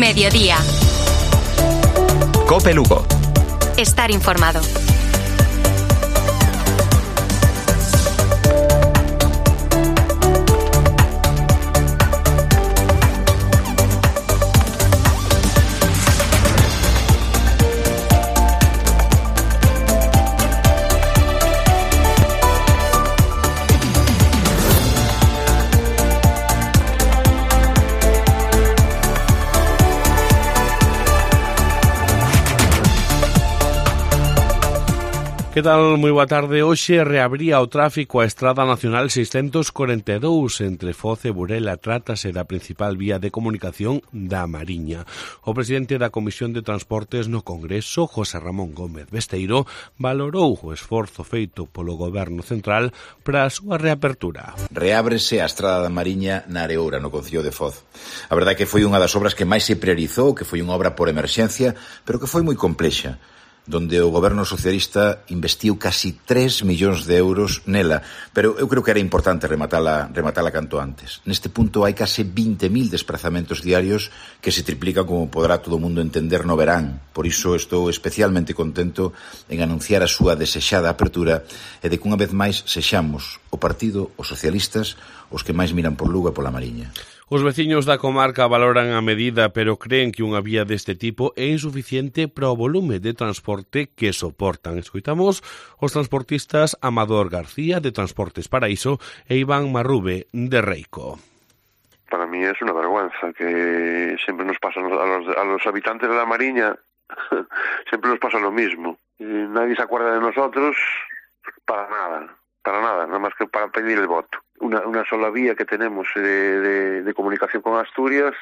Mediodía. COPE Lugo. Estar informado. Que tal? Moi boa tarde. Hoxe reabría o tráfico a Estrada Nacional 642 entre Foz e Burela. Trátase da principal vía de comunicación da Mariña. O presidente da Comisión de Transportes no Congreso, José Ramón Gómez Besteiro, valorou o esforzo feito polo Goberno Central para a súa reapertura. Reábrese a Estrada da Mariña na Areoura, no concello de Foz. A verdade é que foi unha das obras que máis se priorizou, que foi unha obra por emerxencia, pero que foi moi complexa, donde o goberno socialista investiu casi 3 millóns de euros nela, pero eu creo que era importante rematala canto antes. Neste punto hai case 20.000 desplazamentos diarios que se triplican, como podrá todo o mundo entender, no verán. Por iso estou especialmente contento en anunciar a súa desexada apertura e de que unha vez máis sexamos o partido, os socialistas, os que máis miran por Lugo e pola Mariña. Os veciños da comarca valoran a medida, pero creen que unha vía deste tipo é insuficiente para o volume de transporte que soportan. Escoitamos os transportistas Amador García, de Transportes Paraíso, e Iván Marrube, de Reico. Para mí es una vergüenza que siempre nos pasa a los habitantes de la Mariña, siempre nos pasa lo mismo. Nadie se acuerda de nosotros para nada más que para pedir el voto. Una sola vía que tenemos de comunicación con Asturias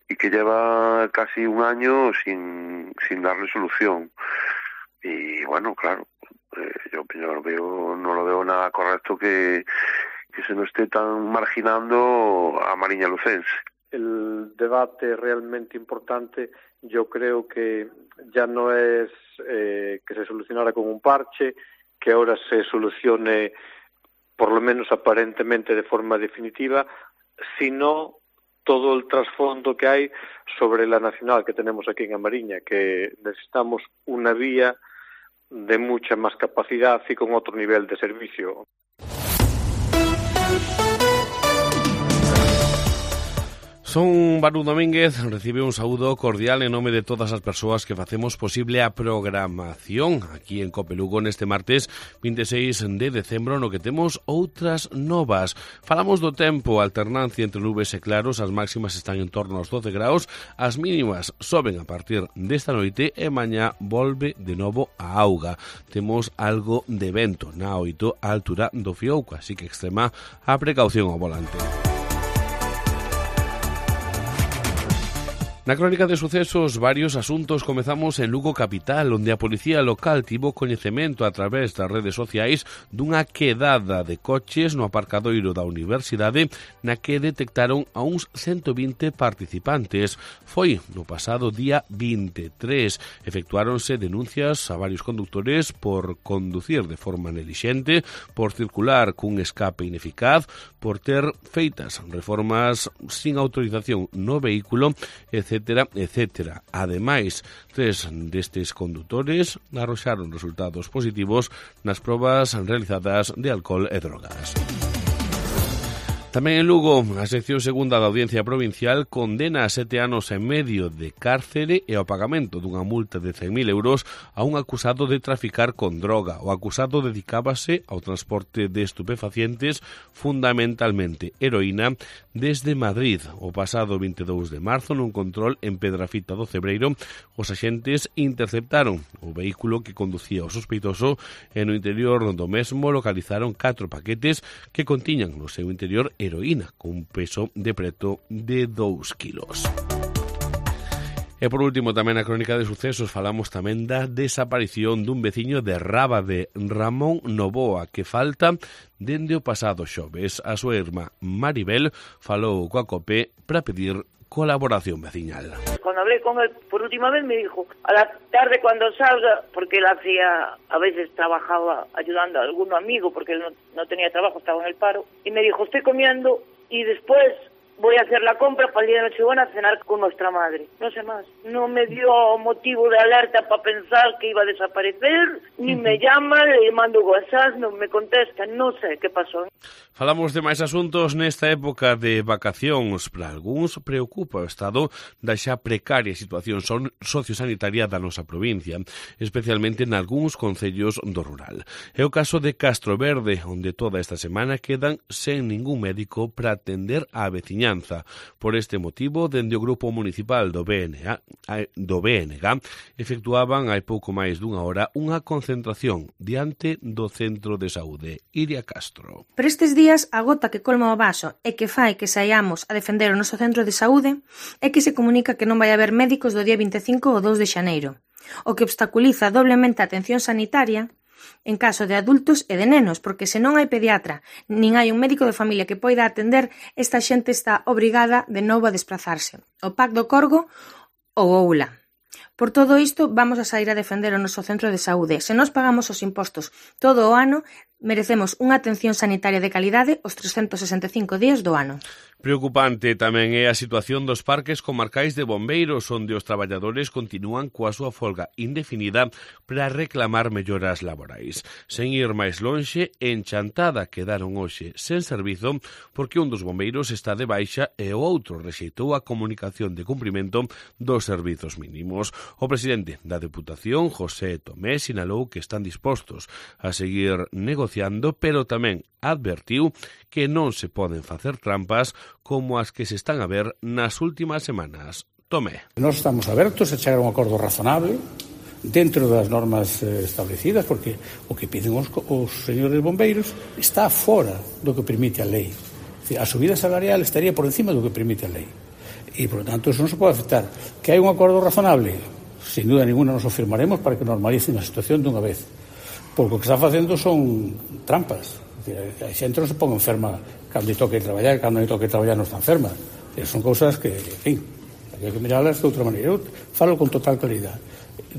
y que lleva casi un año sin darle solución. Y bueno, claro, yo no lo veo nada correcto que se nos esté tan marginando a Mariña Lucense. El debate realmente importante yo creo que ya no es que se solucionara con un parche, que ahora se solucione por lo menos aparentemente de forma definitiva, sino todo el trasfondo que hay sobre la nacional que tenemos aquí en Mariña, que necesitamos una vía de mucha más capacidad y con otro nivel de servicio. Son Barú Domínguez, recibe un saúdo cordial en nome de todas as persoas que facemos posible a programación aquí en COPE Lugo neste martes 26 de decembro, no que temos outras novas. Falamos do tempo, alternancia entre nubes e claros, as máximas están en torno aos 12 graus, as mínimas soben a partir desta noite e mañá volve de novo a auga. Temos algo de vento na 8 a altura do Fiouco, así que extrema a precaución ao volante. Na crónica de sucesos, varios asuntos. Comezamos en Lugo capital, onde a policía local tivo coñecemento a través das redes sociais dunha quedada de coches no aparcadoiro da universidade na que detectaron a uns 120 participantes. Foi no pasado día 23. Efectuáronse denuncias a varios conductores por conducir de forma nelixente, por circular cun escape ineficaz, por ter feitas reformas sin autorización no vehículo, etcétera, etcétera. Ademais, 3 destes condutores arroxaron resultados positivos nas probas realizadas de alcohol e drogas. Tamén en Lugo, a sección segunda da Audiencia Provincial condena a 7 anos e medio de cárcere e ao pagamento dunha multa de 100.000 euros a un acusado de traficar con droga. O acusado dedicábase ao transporte de estupefacientes, fundamentalmente heroína, desde Madrid. O pasado 22 de marzo, nun control en Pedrafita do Cebreiro, os axentes interceptaron o vehículo que conducía o sospeitoso e no interior do mesmo localizaron 4 paquetes que contiñan no seu interior heroína, con un peso de preto de 2 kilos. E por último, tamén na crónica de sucesos, falamos tamén da desaparición dun veciño de Rábade, Ramón Novoa, que falta dende o pasado xoves. A súa irmá Maribel falou coa COPE para pedir colaboración veciñal. Cuando hablé con él por última vez me dijo, a la tarde cuando salga, porque él hacía, a veces trabajaba ayudando a algún amigo, porque él no tenía trabajo, estaba en el paro, y me dijo, estoy comiendo y después voy a hacer la compra para el día de Nochebuena a cenar con nuestra madre. No sé más. No me dio motivo de alerta para pensar que iba a desaparecer, ni me llama, le mando WhatsApp, non me contesta, non sei que pasou. Falamos de máis asuntos nesta época de vacacións. Para algúns preocupa o estado da xa precaria situación sociosanitaria da nosa provincia, especialmente nalgúns concellos do rural. É o caso de Castro Verde, onde toda esta semana quedan sen ningún médico para atender á veciñanza. Por este motivo, dende o Grupo Municipal do BNG, efectuaban hai pouco máis dunha hora unha concentración diante do Centro de Saúde. Iria Castro. Pero estes días, a gota que colma o vaso e que fai que saiamos a defender o noso centro de saúde é que se comunica que non vai haber médicos do día 25 ou 2 de xaneiro, o que obstaculiza doblemente a atención sanitaria en caso de adultos e de nenos, porque se non hai pediatra, nin hai un médico de familia que poida atender, esta xente está obrigada de novo a desplazarse. O PAC do Corgo ou Oula. Por todo isto, vamos a sair a defender o noso centro de saúde. Se nós pagamos os impostos todo o ano, merecemos unha atención sanitaria de calidade os 365 días do ano. Preocupante tamén é a situación dos parques comarcais de bombeiros, onde os traballadores continúan coa súa folga indefinida para reclamar melloras laborais. Sen ir máis lonxe, en Chantada quedaron hoxe sen servizo porque un dos bombeiros está de baixa e o outro rexeitou a comunicación de cumprimento dos servizos mínimos. O presidente da Deputación, José Tomé, sinalou que están dispostos a seguir negociando, pero tamén advertiu que non se poden facer trampas como as que se están a ver nas últimas semanas. Tomé. Nós estamos abertos a chegar a un acordo razonable dentro das normas establecidas, porque o que piden os señores bombeiros está fora do que permite a lei. A subida salarial estaría por encima do que permite a lei. E, por lo tanto, eso non se pode aceptar. Que hai un acordo razonable? Sin duda ninguna nos o firmaremos para que normalicen a situación dunha vez. Porque o que está facendo son trampas. A xente non se pon enferma cando lle toque traballar, cando lle toque traballar non está enferma. Son cousas que, en fin, hai que mirarlas de outra maneira. Eu falo con total claridade.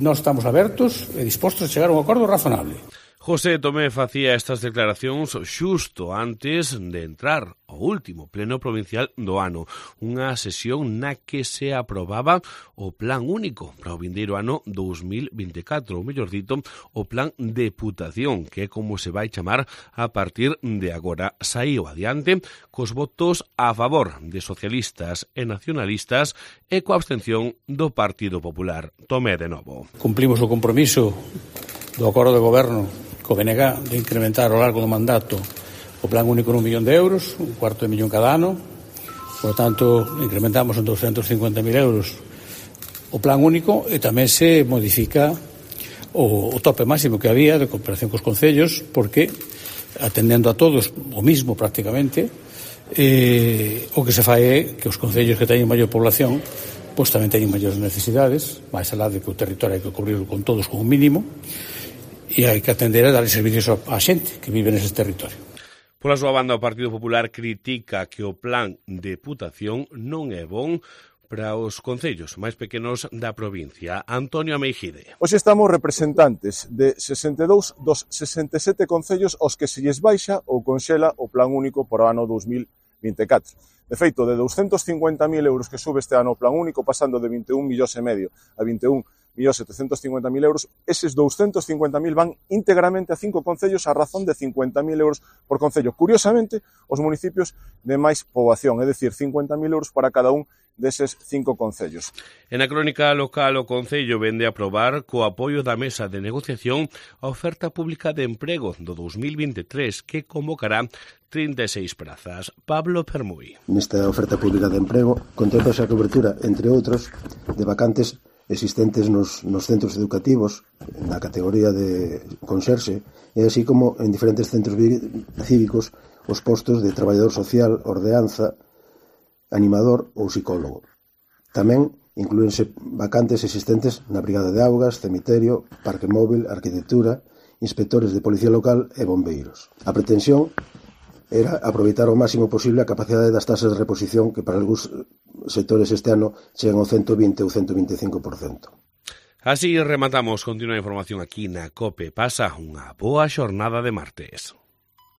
Nós estamos abertos e dispostos a chegar a un acordo razonable. José Tomé facía estas declaracións xusto antes de entrar ao último pleno provincial do ano, unha sesión na que se aprobaba o plan único para o vindeiro ano 2024, ou mellor dito, o plan Deputación, que é como se vai chamar a partir de agora. Saíu adiante cos votos a favor de socialistas e nacionalistas e coa abstención do Partido Popular. Tomé de novo. Cumplimos o compromiso do acordo de goberno co BNG de incrementar ao largo do mandato o plan único en 1 millón de euros, 1/4 de millón cada ano. Por lo tanto, incrementamos en 250.000 euros o plan único e tamén se modifica o tope máximo que había de cooperación cos concellos, porque atendendo a todos o mismo prácticamente, o que se fai é que os concellos que teñen maior población pois tamén teñen maiores necesidades, máis alá de que o territorio hai que cubrirlo con todos con un mínimo, e hai que atender a dar servicios á xente que vive neses territorios. Pola súa banda, o Partido Popular critica que o plan Deputación non é bon para os concellos máis pequenos da provincia. Antonio Ameijide. Hoxe estamos representantes de 62 dos 67 concellos aos que se lles baixa ou conxela o plan único para o ano 2024. De feito, de 250.000 euros que sube este ano o plan único, pasando de 21,5 millóns a 21.750.000 euros, eses 250.000 van íntegramente a 5 concellos a razón de 50.000 euros por concello. Curiosamente, os municipios de máis poboación, é dicir, 50.000 euros para cada un deses 5 concellos. En a crónica local, o Concello vende a aprobar co apoio da Mesa de Negociación a oferta pública de emprego do 2023 que convocará 36 prazas. Pablo Permuy. Nesta oferta pública de emprego contempla a cobertura, entre outros, de vacantes existentes nos centros educativos na categoría de conserxe e así como en diferentes centros cívicos os postos de traballador social, ordeanza, animador ou psicólogo. Tamén inclúense vacantes existentes na Brigada de Augas, Cemiterio, Parque Móvil, Arquitectura, inspectores de Policía Local e bombeiros. A pretensión era aproveitar ao máximo posible a capacidade das tasas de reposición que para algúns sectores este ano chegan ao 120 ou 125%. Así rematamos. Continúa a información aquí na COPE. Pasa unha boa xornada de martes.